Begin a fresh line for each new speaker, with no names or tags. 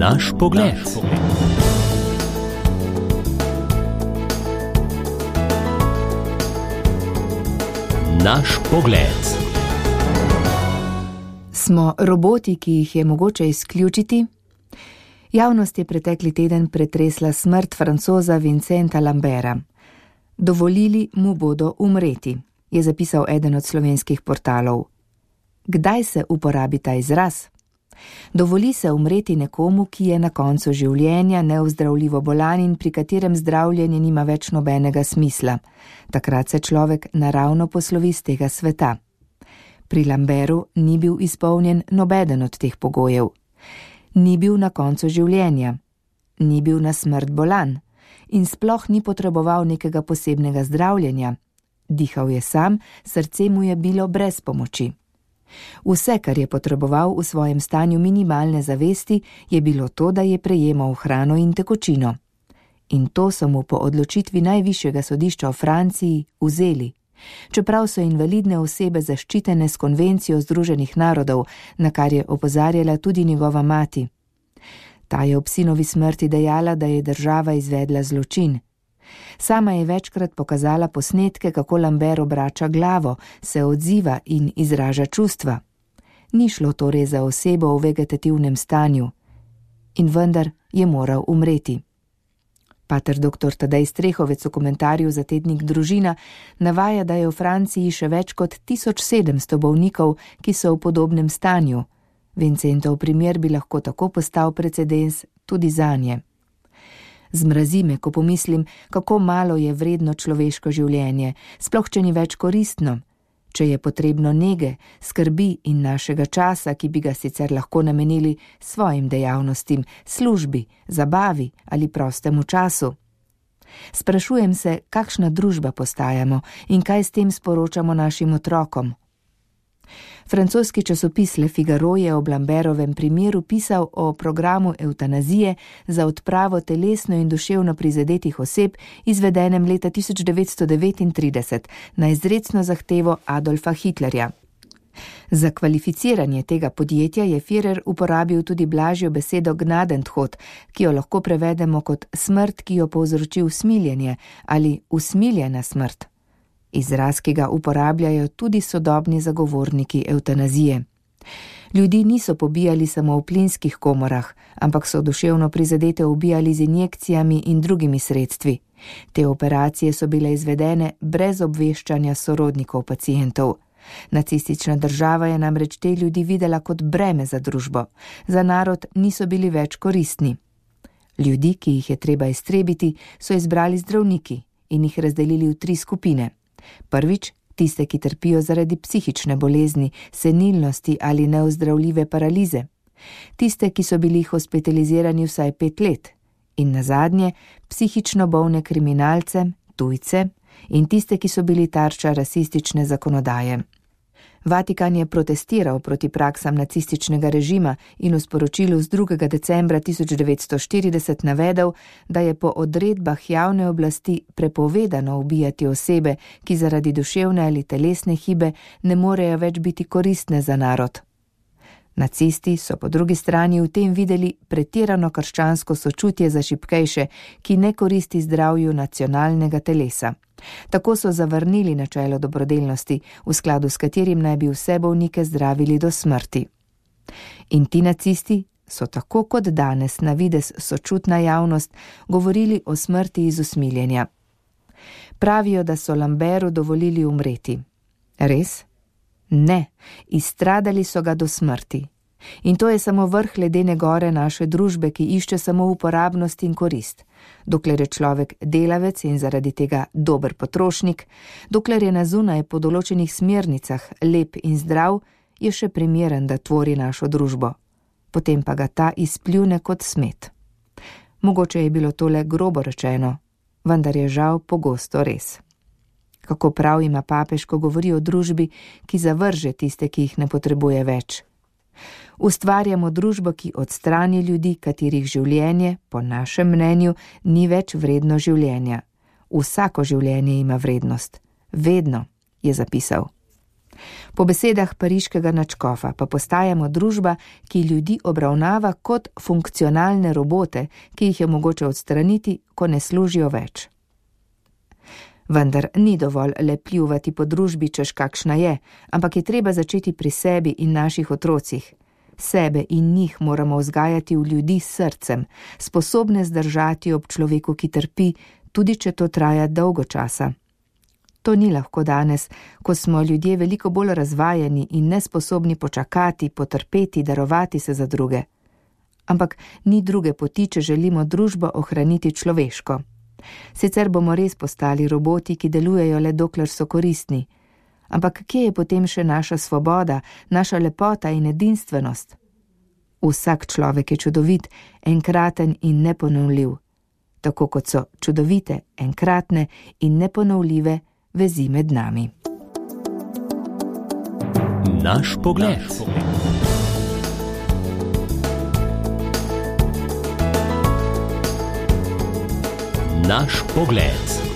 Naš pogled. Naš pogled.
Smo roboti, ki jih je mogoče izključiti? Javnost je pretekli teden pretresla smrt Francoza Vincenta Lamberta. Dovolili mu bodo umreti, je zapisal eden od slovenskih portalov. Kdaj se uporabi ta izraz? Dovoli se umreti nekomu, ki je na koncu življenja neozdravljivo bolan in pri katerem zdravljenje nima več nobenega smisla. Takrat se človek naravno poslovi z tega sveta. Pri Lambertu ni bil izpolnjen nobeden od teh pogojev. Ni bil na koncu življenja, ni bil na smrt bolan in sploh ni potreboval nekega posebnega zdravljenja. Dihal je sam, srce mu je bilo brez pomoči. Vse, kar je potreboval v svojem stanju minimalne zavesti, je bilo to, da je prejemal hrano in tekočino. In to so mu po odločitvi najvišjega sodišča v Franciji vzeli. Čeprav so invalidne osebe zaščitene s konvencijo Združenih narodov, na kar je opozarjala tudi njegova mati. Ta je ob sinovi smrti dejala, da je država izvedla zločin. Sama je večkrat pokazala posnetke, kako Lambert obrača glavo, se odziva in izraža čustva. Ni šlo torej za osebo v vegetativnem stanju. In vendar je moral umreti. Pater dr. Tadej Strehovec v komentarju za tednik Družina navaja, da je v Franciji še več kot 1700 bolnikov, ki so v podobnem stanju. Vincentov primer bi lahko tako postal precedens tudi zanje. Zmrazi me, ko pomislim, kako malo je vredno človeško življenje, sploh če ni več koristno. Če je potrebno nege, skrbi in našega časa, ki bi ga sicer lahko namenili svojim dejavnostim, službi, zabavi ali prostemu času. Sprašujem se, kakšna družba postajamo in kaj s tem sporočamo našim otrokom. Francoski časopis Le Figaro je ob Lambertovem primeru pisal o programu evtanazije za odpravo telesno in duševno prizadetih oseb, izvedenem leta 1939 na izrecno zahtevo Adolfa Hitlerja. Za kvalificiranje tega podjetja je Führer uporabil tudi blažjo besedo Gnadentod, ki jo lahko prevedemo kot smrt, ki jo povzroči usmiljenje ali usmiljena smrt. Izraz, ki ga uporabljajo tudi sodobni zagovorniki evtanazije. Ljudi niso pobijali samo v plinskih komorah, ampak so duševno prizadete ubijali z injekcijami in drugimi sredstvi. Te operacije so bile izvedene brez obveščanja sorodnikov pacientov. Nacistična država je namreč te ljudi videla kot breme za družbo. Za narod niso bili več koristni. Ljudi, ki jih je treba iztrebiti, so izbrali zdravniki in jih razdelili v 3 skupine. Prvič, tiste, ki trpijo zaradi psihične bolezni, senilnosti ali neozdravljive paralize. Tiste, ki so bili hospitalizirani vsaj 5 let. In nazadnje, psihično bolne kriminalce, tujce in tiste, ki so bili tarča rasistične zakonodaje. Vatikan je protestiral proti praksam nacističnega režima in v sporočilu z 2. decembra 1940 navedel, da je po odredbah javne oblasti prepovedano ubijati osebe, ki zaradi duševne ali telesne hibe ne morejo več biti koristne za narod. Nacisti so po drugi strani v tem videli pretirano krščansko sočutje za šibkejše, ki ne koristi zdravju nacionalnega telesa. Tako so zavrnili načelo dobrodelnosti, v skladu s katerim naj bi vse bolnike zdravili do smrti. In ti nacisti so tako kot danes na videz sočutna javnost govorili o smrti iz usmiljenja. Pravijo, da so Lambertu dovolili umreti. Res? Ne, izstradali so ga do smrti. In to je samo vrh ledene gore naše družbe, ki išče samo uporabnost in korist. Dokler je človek delavec in zaradi tega dober potrošnik, dokler je na zunaj po določenih smernicah lep in zdrav, je še primeren, da tvori našo družbo. Potem pa ga ta izpljune kot smet. Mogoče je bilo tole grobo rečeno, vendar je žal pogosto res. Kako prav ima papež, ko govori o družbi, ki zavrže tiste, ki jih ne potrebuje več. Ustvarjamo družbo, ki odstrani ljudi, katerih življenje, po našem mnenju, ni več vredno življenja. Vsako življenje ima vrednost. Vedno, je zapisal. Po besedah pariškega nadškofa pa postajamo družba, ki ljudi obravnava kot funkcionalne robote, ki jih je mogoče odstraniti, ko ne služijo več. Vendar ni dovolj le pljuvati po družbi, češ kakšna je, ampak je treba začeti pri sebi in naših otrocih. Sebe in njih moramo vzgajati v ljudi s srcem, sposobne zdržati ob človeku, ki trpi, tudi če to traja dolgo časa. To ni lahko danes, ko smo ljudje veliko bolj razvajeni in nesposobni počakati, potrpeti, darovati se za druge. Ampak ni druge poti, če želimo družbo ohraniti človeško. Sicer bomo res postali roboti, ki delujejo le dokler so koristni. Ampak kje je potem še naša svoboda, naša lepota in edinstvenost? Vsak človek je čudovit, enkraten in neponovljiv. Tako kot so čudovite, enkratne in neponovljive vezi med nami.
Naš pogled. Naš pogled.